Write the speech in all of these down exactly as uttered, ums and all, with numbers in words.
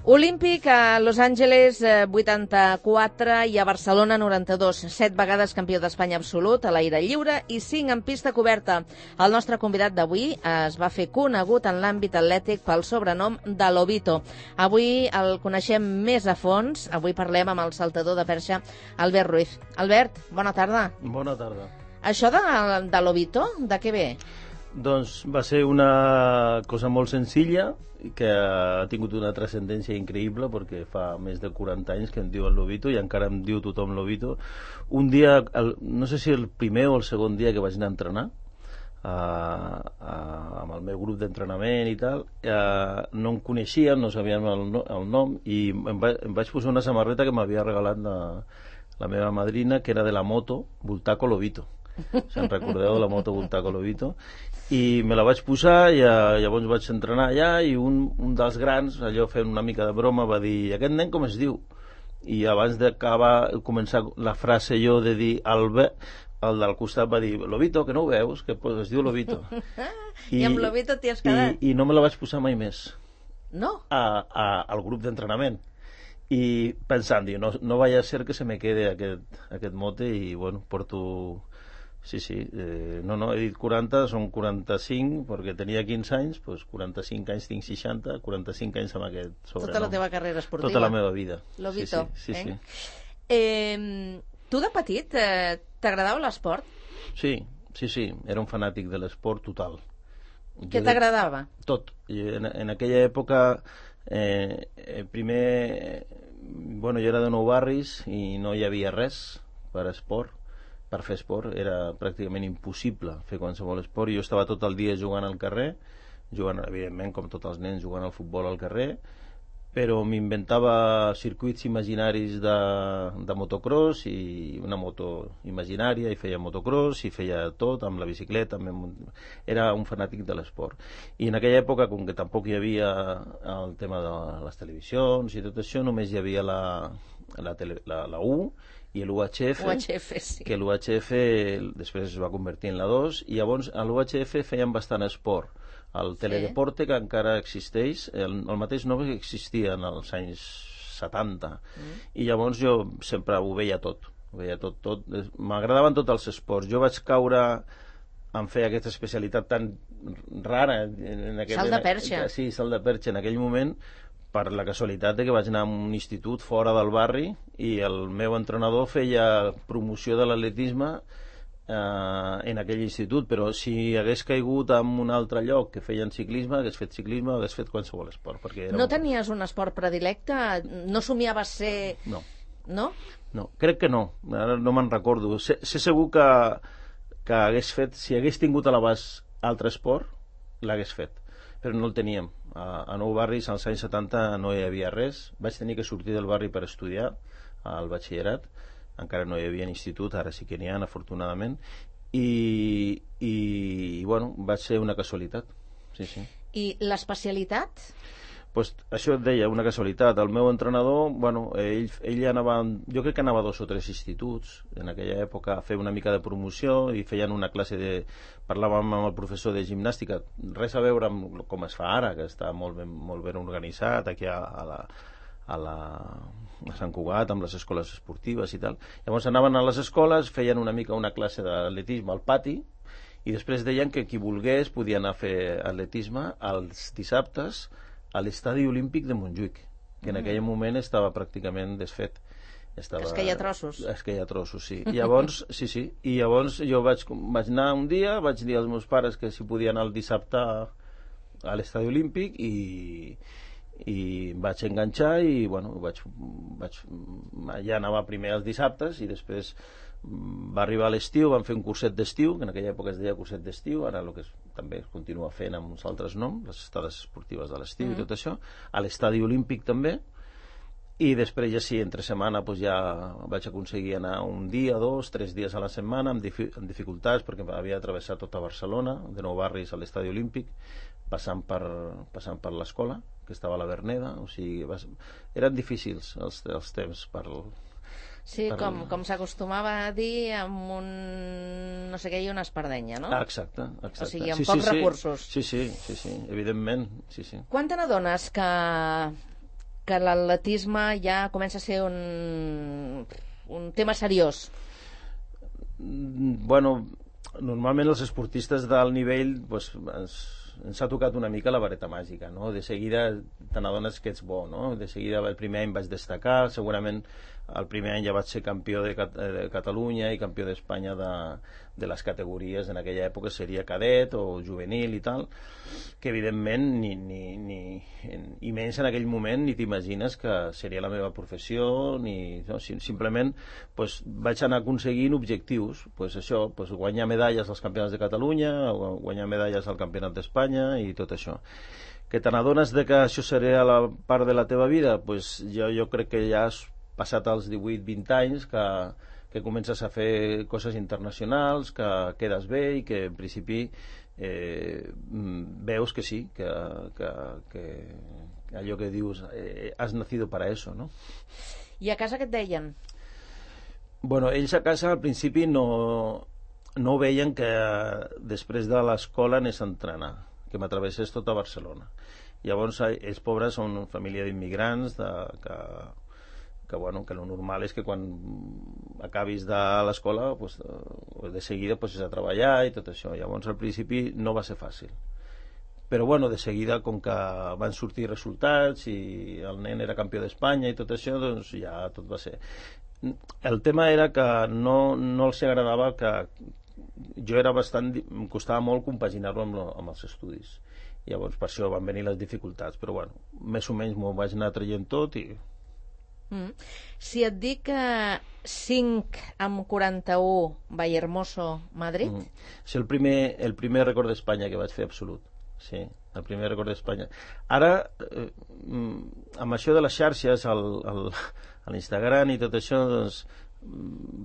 Olímpic a Los Angeles vuitanta-quatre i a Barcelona noranta-dos. Set vegades campió d'Espanya absolut a l'aire lliure i cinc en pista coberta. El nostre convidat d'avui es va fer conegut en l'àmbit atlètic pel sobrenom de Lobito. Avui el coneixem més a fons. Avui parlem amb el saltador de perxa Albert Ruiz. Albert, bona tarda. Bona tarda. Això de, de Lobito, de què ve? Doncs va ser una cosa molt senzilla que ha tingut una transcendència increïble perquè fa més de quaranta anys que em diuen Lobito i encara em diu tothom Lobito. Un dia, el, no sé si el primer o el segon dia que vaig anar a entrenar a, a, amb el meu grup d'entrenament i tal, a, no em coneixien, no sabien el, el nom i em, va, em vaig posar una samarreta que m'havia regalat la, la meva madrina, que era de la moto Bultaco Lobito. Se'n recordeu de la moto Bultaco Lobito? I me la vaig posar i uh, llavors vaig entrenar allà i un, un dels grans, allò fent una mica de broma, va dir, aquest nen com es diu? I abans d'acabar, començar la frase jo de dir Albert, el del costat va dir, Lobito, que no ho veus? Que pues, es diu Lobito. I, I amb Lobito t'hi has quedat? I, I no me la vaig posar mai més. No? A, a, al grup d'entrenament. I pensant, diu, no, no vaya a ser que se me quede aquest, aquest mote i bueno, porto... Sí, sí, eh, no, no, he dit quaranta, són quaranta-cinc, perquè tenia quinze anys, doncs quaranta-cinc anys tinc seixanta, quaranta-cinc anys amb aquest sobrenom. Tota la teva carrera esportiva. Tota la meva vida. Lobito, sí, sí, sí, eh? sí. Eh, tu de petit eh, t'agradava l'esport? Sí, sí, sí, era un fanàtic de l'esport total. Què t'agradava? Tot. En, en aquella època, eh, primer, bueno, jo era de Nou Barris i no hi havia res per esport. Per fer esport era pràcticament impossible fer qualsevol esport. Jo estava tot el dia jugant al carrer, jugant, evidentment, com tots els nens, jugant al futbol al carrer, però m'inventava circuits imaginaris de, de motocross i una moto imaginària, i feia motocross, i feia tot, amb la bicicleta, amb... era un fanàtic de l'esport. I en aquella època, com que tampoc hi havia el tema de les televisions i tot això, només hi havia la, la, tele, la, la U, i l'U H F, U H F sí. que l'U H F després es va convertir en la dos, i llavors a l'U H F feien bastant esport. El Teledeporte, sí, que encara existeix, el, el mateix nom que existia en els anys setanta, mm. i llavors jo sempre ho veia tot, ho veia tot, tot. M'agradaven tots els esports. Jo vaig caure en fer aquesta especialitat tan rara. En aquest, salt de perxa. En, sí, salt de perxa en aquell moment, per la casualitat de que vaig anar a un institut fora del barri i el meu entrenador feia promoció de l'atletisme eh, en aquell institut, però si hagués caigut en un altre lloc que feien ciclisme, hagués fet ciclisme, hagués fet qualsevol esport. Perquè era no un... tenies un esport predilecte? No somiaves ser... No. No? No, crec que no. Ara no me'n recordo. Sé, sé segur que, que hagués fet, si hagués tingut a l'abast altre esport, l'hagués fet, però no el teníem. A Nou Barris als anys setanta no hi havia res. Vaig tenir que sortir del barri per estudiar al batxillerat. Encara no hi havia institut, ara sí que n'hi ha, afortunadament. I, i, i bueno, va ser una casualitat. Sí, sí. I l'especialitat? Pues això et deia, una casualitat. El meu entrenador, bueno, ell, ell anava, jo crec que anava a dos o tres instituts en aquella època a fer una mica de promoció i feien una classe de... Parlàvem amb el professor de gimnàstica, res a veure amb com es fa ara, que està molt ben, molt ben organitzat aquí a, a la... a la a Sant Cugat, amb les escoles esportives i tal. Llavors anaven a les escoles, feien una mica una classe d'atletisme al pati i després deien que qui volgués podia anar a fer atletisme els dissabtes a l'estadi olímpic de Montjuïc, que en aquell moment estava pràcticament desfet. Estava... Es queia trossos. Es queia trossos, sí. I llavors, sí, sí. I llavors jo vaig, vaig anar un dia, vaig dir als meus pares que si podia anar el dissabte a l'estadi olímpic i, i vaig enganxar i, bueno, vaig, vaig, ja anava primer els dissabtes i després va arribar l'estiu, vam fer un curset d'estiu, que en aquella època es deia curset d'estiu, ara el que es, també es continua fent amb uns altres noms, les estades esportives de l'estiu mm. i tot això, a l'estadi olímpic també, i després ja sí, entre setmana pues ja vaig aconseguir anar un dia, dos, tres dies a la setmana amb, difi amb dificultats perquè havia travessat tota Barcelona, de Nou Barris a l'estadi olímpic, passant per, passant per l'escola, que estava a la Verneda, o sigui, vas, eren difícils els, els temps per... Sí, per... com, com s'acostumava a dir amb un no sé què i una espardenya, no? Ah, exacte, exacte. O sigui, amb sí, pocs sí, recursos. Sí, sí, sí, sí, evidentment, sí, sí. Quan te n'adones que que l'atletisme ja comença a ser un, un tema seriós. Bueno, normalment els esportistes d'alt nivell pues, ens, ens ha tocat una mica la vareta màgica, no? De seguida te n'adones que ets bo, no? De seguida el primer any vaig destacar, segurament el primer any ja vaig ser campió de, Cat de Catalunya i campió d'Espanya de, de les categories, en aquella època seria cadet o juvenil i tal, que evidentment ni, ni, ni, i menys en aquell moment ni t'imagines que seria la meva professió, ni, no, simplement pues, vaig anar aconseguint objectius, pues això, pues, guanyar medalles als campionats de Catalunya, guanyar medalles al campionat d'Espanya i tot això. Que te n'adones de que això seria la part de la teva vida? Pues jo, jo crec que ja has passat als divuit vint anys que, que comences a fer coses internacionals, que quedes bé i que en principi eh, veus que sí, que, que, que allò que dius eh, has nacido para eso, no? I a casa què et deien? Bueno, ells a casa al principi no, no veien que després de l'escola anés a entrenar, que m'atravessés tota Barcelona. Llavors ells pobres són una família d'immigrants de, que que, bueno, que lo normal és que quan acabis de l'escola pues, de seguida pues, és a treballar i tot això. Llavors al principi no va ser fàcil, però bueno, de seguida com que van sortir resultats i el nen era campió d'Espanya i tot això, doncs ja tot va ser. El tema era que no, no els agradava que jo era bastant, em costava molt compaginar-lo amb, amb els estudis. Llavors per això van venir les dificultats, però bueno, més o menys m'ho vaig anar traient tot i Mm. Si et dic uh, cinc amb quaranta-u Vallehermoso, Madrid? Mm. És el primer, el primer record d'Espanya que vaig fer absolut. Sí, el primer record d'Espanya. Ara, eh, amb això de les xarxes, a l'Instagram i tot això, doncs,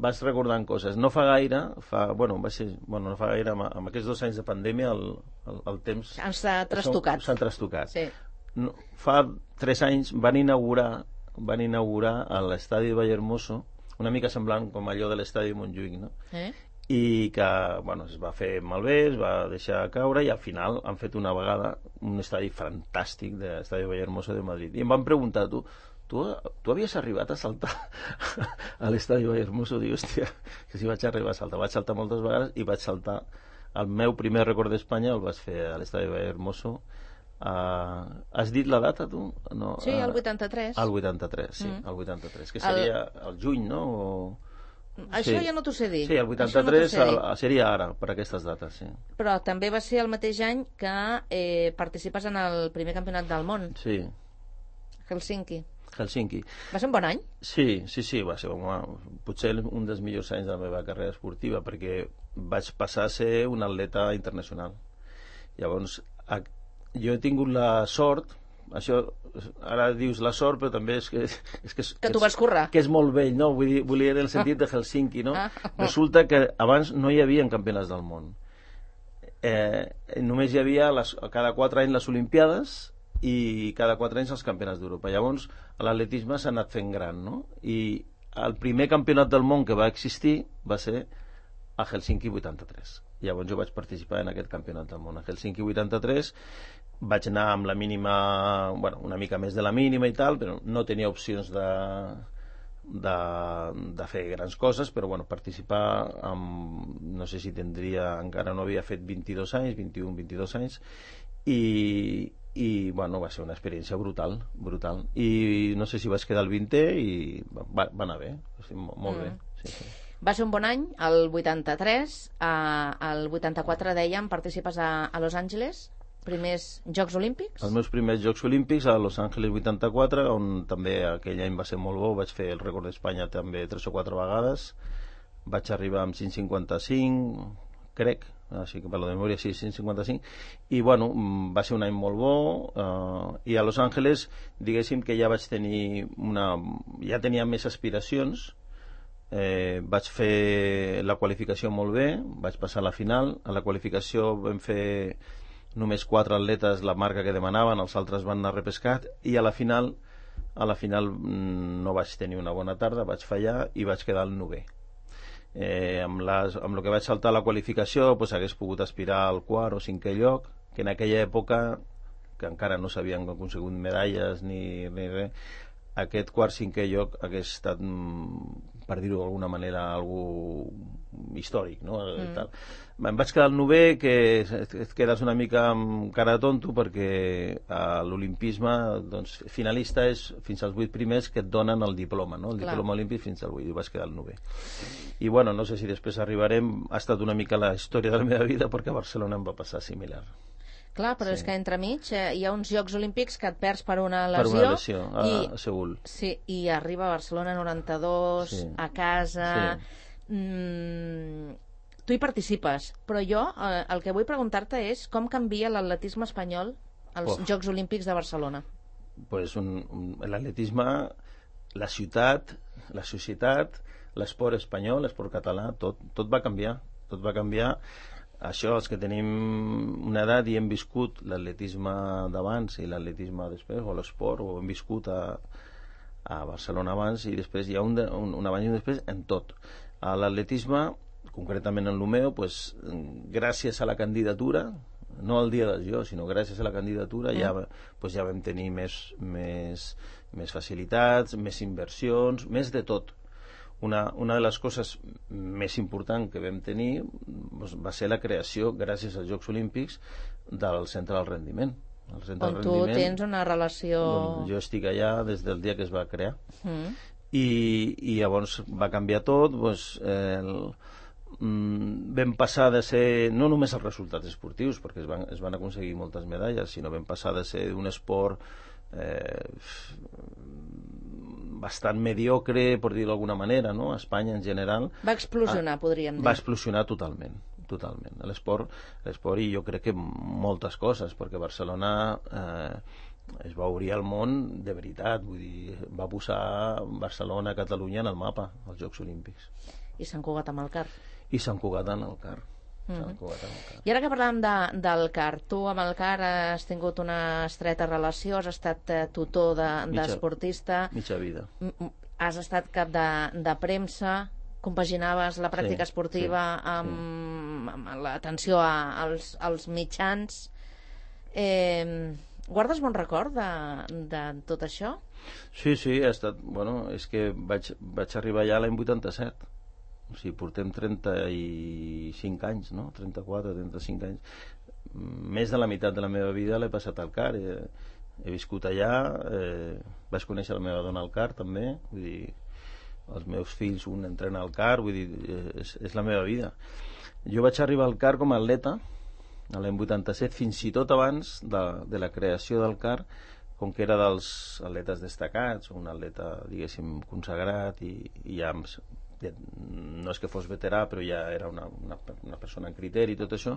vas recordant coses. No fa gaire, fa, bueno, va ser, bueno, no fa gaire, amb, amb aquests dos anys de pandèmia, el, el, el temps... S'ha trastocat. S'han trastocat. Sí. No, fa tres anys van inaugurar van inaugurar a l'estadi de Vallehermoso, una mica semblant com allò de l'estadi de Montjuïc, no? Eh? I que, bueno, es va fer malbé, es va deixar caure i al final han fet una vegada un estadi fantàstic de l'estadi de Vallehermoso de Madrid. I em van preguntar, tu, tu, tu havies arribat a saltar a l'estadi de Vallehermoso? Dic, hòstia, que si vaig arribar a saltar. Vaig saltar moltes vegades i vaig saltar. El meu primer record d'Espanya el vaig fer a l'estadi de Vallehermoso. Uh, has dit la data, tu? No, sí, el vuitanta-tres. El vuitanta-tres, sí, mm. el vuitanta-tres, que seria el, el juny, no? O... Això sí. Ja no t'ho sé dir. Sí, el vuitanta-tres no el, seria ara, per aquestes dates, sí. Però també va ser el mateix any que eh, participes en el primer campionat del món. Sí. Helsinki. Helsinki. Va ser un bon any? Sí, sí, sí, va ser home, potser un dels millors anys de la meva carrera esportiva, perquè vaig passar a ser un atleta internacional. Llavors, a jo he tingut la sort, això ara dius la sort, però també és que... És que, que tu vas currar. Que és molt vell, no? Vull dir, vull dir en el sentit de Helsinki, no? Resulta que abans no hi havia campionats del món. Eh, només hi havia les, cada quatre anys les Olimpiades i cada quatre anys els campionats d'Europa. Llavors l'atletisme s'ha anat fent gran, no? I el primer campionat del món que va existir va ser a Helsinki vuitanta-tres. Llavors jo vaig participar en aquest campionat del món a Helsinki vuitanta-tres. Vaig anar amb la mínima, bueno, una mica més de la mínima i tal, però no tenia opcions de, de, de fer grans coses, però bueno, participar amb, no sé si tindria, encara no havia fet vint-i-dos anys, vint-i-un, vint-i-dos anys, i, i bueno, va ser una experiència brutal, brutal. I no sé si vaig quedar al vintè i va, va anar bé, sí, molt, molt mm. bé. Sí, sí. Va ser un bon any, el vuitanta-tres, eh, el vuitanta-quatre dèiem, participes a, a Los Angeles, primers Jocs Olímpics? Els meus primers Jocs Olímpics a Los Angeles vuitanta-quatre, on també aquell any va ser molt bo, vaig fer el rècord d'Espanya també tres o quatre vegades, vaig arribar amb cinc cinquanta-cinc, crec, així que per la memòria sí, cinc cinquanta-cinc, i bueno, va ser un any molt bo, eh, i a Los Angeles diguéssim que ja vaig tenir una, ja tenia més aspiracions. Eh, vaig fer la qualificació molt bé, vaig passar a la final. A la qualificació vam fer només quatre atletes la marca que demanaven, els altres van anar repescat, i a la final a la final no vaig tenir una bona tarda, vaig fallar i vaig quedar al novè. Eh, amb, les, amb el que vaig saltar a la qualificació pues, hagués pogut aspirar al quart o cinquè lloc, que en aquella època que encara no s'havien aconsegut medalles ni, ni res, aquest quart cinquè lloc hagués estat, per dir-ho d'alguna manera, algú històric, no? Mm. Tal. Em vaig quedar al novè, que et quedes una mica amb cara de tonto, perquè a l'olimpisme, doncs, finalista és fins als vuit primers que et donen el diploma, no? El Clar. Diploma olímpic fins al vuit, i vaig quedar al novè. I bueno, no sé si després arribarem, ha estat una mica la història de la meva vida, perquè a Barcelona em va passar similar. Clar, però sí. És que entremig eh, hi ha uns Jocs Olímpics que et perds per una lesió. Per una lesió, a, i, a Seül. Sí, i arriba a Barcelona noranta-dos, sí. A casa... Sí. Mm, tu hi participes, però jo eh, el que vull preguntar-te és com canvia l'atletisme espanyol als oh. Jocs Olímpics de Barcelona. Pues un, un, l'atletisme, la ciutat, la societat, l'esport espanyol, l'esport català, tot, tot va canviar, tot va canviar. Això, els que tenim una edat i hem viscut l'atletisme d'abans i l'atletisme després, o l'esport, o hem viscut a, a Barcelona abans, i després hi ha un, de, un, un abans i un després en tot. A l'atletisme, concretament en l'Omeo, pues, gràcies a la candidatura, no al dia dels Jocs, sinó gràcies a la candidatura, mm. ja, pues, ja vam tenir més, més, més facilitats, més inversions, més de tot. Una, una de les coses més importants que vam tenir doncs, va ser la creació, gràcies als Jocs Olímpics, del Centre del Rendiment. El Centre On del tu Rendiment, tens una relació... Jo estic allà des del dia que es va crear. Mm. I, i llavors va canviar tot. Doncs, eh, el, mm, vam passar de ser, no només els resultats esportius, perquè es van, es van aconseguir moltes medalles, sinó vam passar de ser un esport... Eh, bastant mediocre, per dir-ho d'alguna manera, no? A Espanya en general. Va explosionar, a, podríem dir. Va explosionar totalment, totalment. L'esport, l'esport i jo crec que moltes coses, perquè Barcelona eh, es va obrir al món de veritat, vull dir, va posar Barcelona, Catalunya en el mapa, als Jocs Olímpics. I Sant Cugat amb el Car. I Sant Cugat en el Car. Mm-hmm. I ara que parlàvem de, del Car, tu amb el Car has tingut una estreta relació, has estat eh, tutor d'esportista, de, mitja vida, has estat cap de, de premsa, compaginaves la pràctica sí, esportiva sí, amb, sí. amb l'atenció als, als mitjans. Eh, guardes bon record de, de tot això? Sí, sí, ha estat, bueno, és que vaig, vaig arribar allà l'any vuitanta-set. O sigui, portem trenta-cinc anys, no? trenta-quatre, trenta-cinc anys. Més de la meitat de la meva vida l'he passat al Car. He, he viscut allà, eh, vaig conèixer la meva dona al Car, també. Vull dir, els meus fills, un entrena al Car, vull dir, és, és la meva vida. Jo vaig arribar al Car com a atleta, a l'any vuitanta-set, fins i tot abans de, de la creació del Car, com que era dels atletes destacats, un atleta, diguéssim, consagrat, i, i ja... no és que fos veterà, però ja era una, una, una persona en criteri i tot això,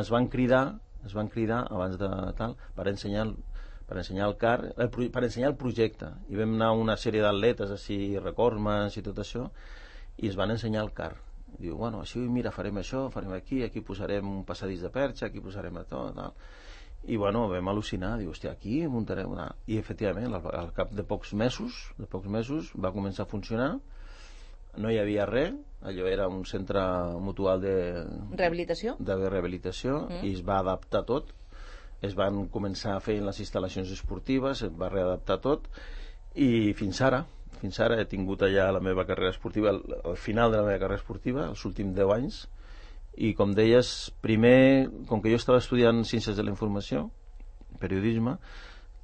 ens van cridar ens van cridar abans de tal per ensenyar, per ensenyar el Car, el, per ensenyar el projecte, i vam anar una sèrie d'atletes així, recordmans i tot això, i es van ensenyar el Car. Diu, bueno, així, mira, farem això, farem aquí, aquí posarem un passadís de perxa, aquí posarem tot, tal. I bueno, vam al·lucinar, diu, hòstia, aquí muntarem una... I efectivament, al, al cap de pocs mesos de pocs mesos va començar a funcionar. No hi havia res, allò era un centre mutual de rehabilitació, de rehabilitació mm. i es va adaptar tot, es van començar a fer les instal·lacions esportives, es va readaptar tot, i fins ara fins ara he tingut allà la meva carrera esportiva, al, al final de la meva carrera esportiva, els últims deu anys, i com deies, primer, com que jo estava estudiant Ciències de la Informació, periodisme,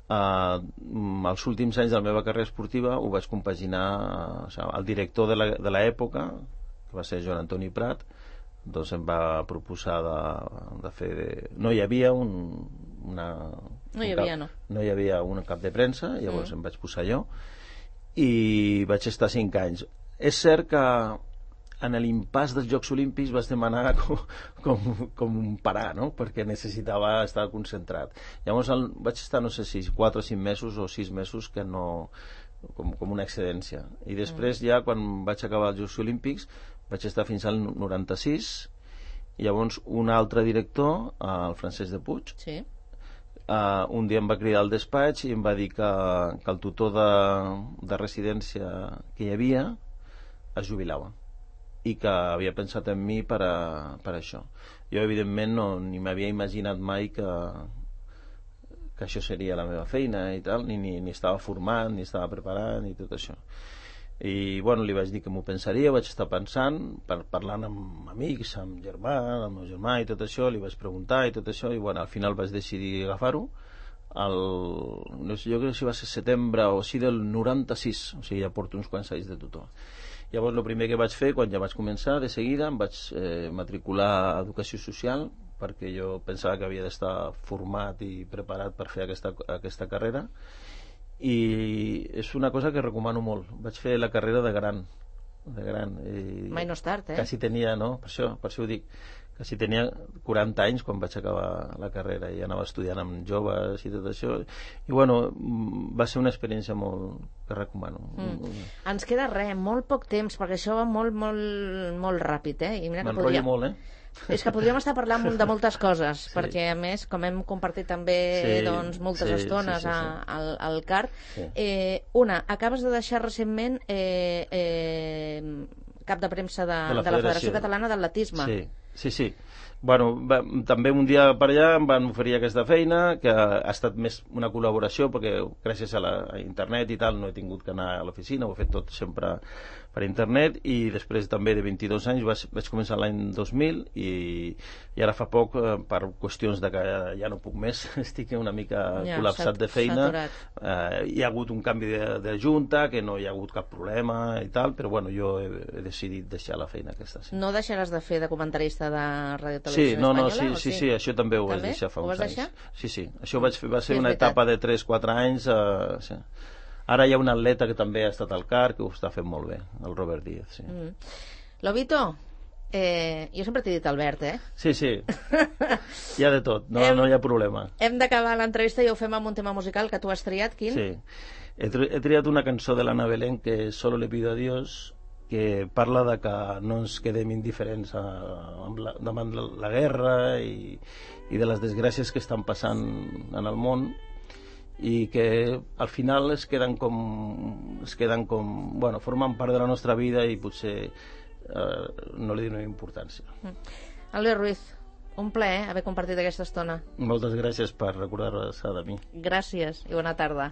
Uh, els últims anys de la meva carrera esportiva ho vaig compaginar, uh, o sigui, el director de l'època, que va ser Joan Antoni Prat, doncs em va proposar de, de fer de... no hi havia un, una no hi havia, un cap, no. no hi havia un cap de premsa, llavors mm. em vaig posar jo i vaig estar cinc anys. És cert que en l'impàs dels Jocs Olímpics vas demanar com, com, com un parar, no? Perquè necessitava estar concentrat. Llavors el, vaig estar, no sé si quatre o cinc mesos o sis mesos que no... com, com una excedència. I després ja, quan vaig acabar els Jocs Olímpics, vaig estar fins al noranta-sis, i llavors un altre director, el Francesc de Puig, sí. uh, un dia em va cridar al despatx i em va dir que, que el tutor de, de residència que hi havia es jubilava, i que havia pensat en mi per, a, per això. Jo, evidentment, no, ni m'havia imaginat mai que, que això seria la meva feina i tal, ni, ni, ni estava formant, ni estava preparant, ni tot això. I bueno, li vaig dir que m'ho pensaria, vaig estar pensant, per, parlant amb amics, amb germà, amb el meu germà i tot això, li vaig preguntar i tot això, i bueno, al final vaig decidir agafar-ho. El, no sé, jo crec que va ser setembre o sí del noranta-sis, o sigui, ja porto uns quants anys de tutor. Llavors, el primer que vaig fer, quan ja vaig començar, de seguida, em vaig eh, matricular a Educació Social, perquè jo pensava que havia d'estar format i preparat per fer aquesta, aquesta carrera, i és una cosa que recomano molt. Vaig fer la carrera de gran, de gran i mai no és tard, eh? quasi tenia, no? Per això, per això ho dic, quasi tenia quaranta anys quan vaig acabar la carrera i anava estudiant amb joves i tot això, i bueno, va ser una experiència molt que recomano. Mm. Ens queda res, molt poc temps, perquè això va molt, molt, molt ràpid, eh? I mira que m'enrotllo podria... molt, eh? És que podríem estar parlant de moltes coses, sí. perquè a més, com hem compartit també sí, doncs, moltes sí, estones sí, sí, sí. A, al, al C A R, sí. eh, una, acabes de deixar recentment eh, eh, cap de premsa de, de, la, de la Federació Catalana d'Atletisme. Sí, sí, sí. Bueno, va, també un dia per allà em van oferir aquesta feina, que ha estat més una col·laboració, perquè gràcies a, la, a internet i tal no he tingut que anar a l'oficina, ho he fet tot sempre per internet, i després també de vint-i-dos anys vaig, vaig començar l'any dos mil, i, i ara fa poc, per qüestions de que ja no puc més, estic una mica ja, col·lapsat de feina, eh, hi ha hagut un canvi de, de junta, que no hi ha hagut cap problema i tal, però bueno, jo he, he decidit deixar la feina aquesta. Sí. No deixaràs de fer de comentarista de Ràdio Televisió sí, no, Espanyola? No, sí, sí, sí, sí, això també ho també? vaig deixar fa ho uns anys. Deixar? Sí, sí, això vaig fer, va ser sí, una veritat. etapa de tres quatre anys. Eh, sí. Ara hi ha un atleta que també ha estat al C A R, que ho està fent molt bé, el Robert Díaz. Sí. Mm. Lobito, eh, jo sempre t'he dit Albert, eh? Sí, sí, hi ha de tot, no, hem, no hi ha problema. Hem d'acabar l'entrevista i ho fem amb un tema musical que tu has triat, quin? Sí, he, tri he triat una cançó de l'Anna Belén, que Solo le pido a Dios, que parla de que no ens quedem indiferents a, a la, davant la, la guerra i, i de les desgràcies que estan passant en el món, i que al final es queden com es queden com, bueno, formen part de la nostra vida i potser eh, no li donem importància. Mm. Albert Ruiz, un plaer haver compartit aquesta estona. Moltes gràcies per recordar-se de mi. Gràcies i bona tarda.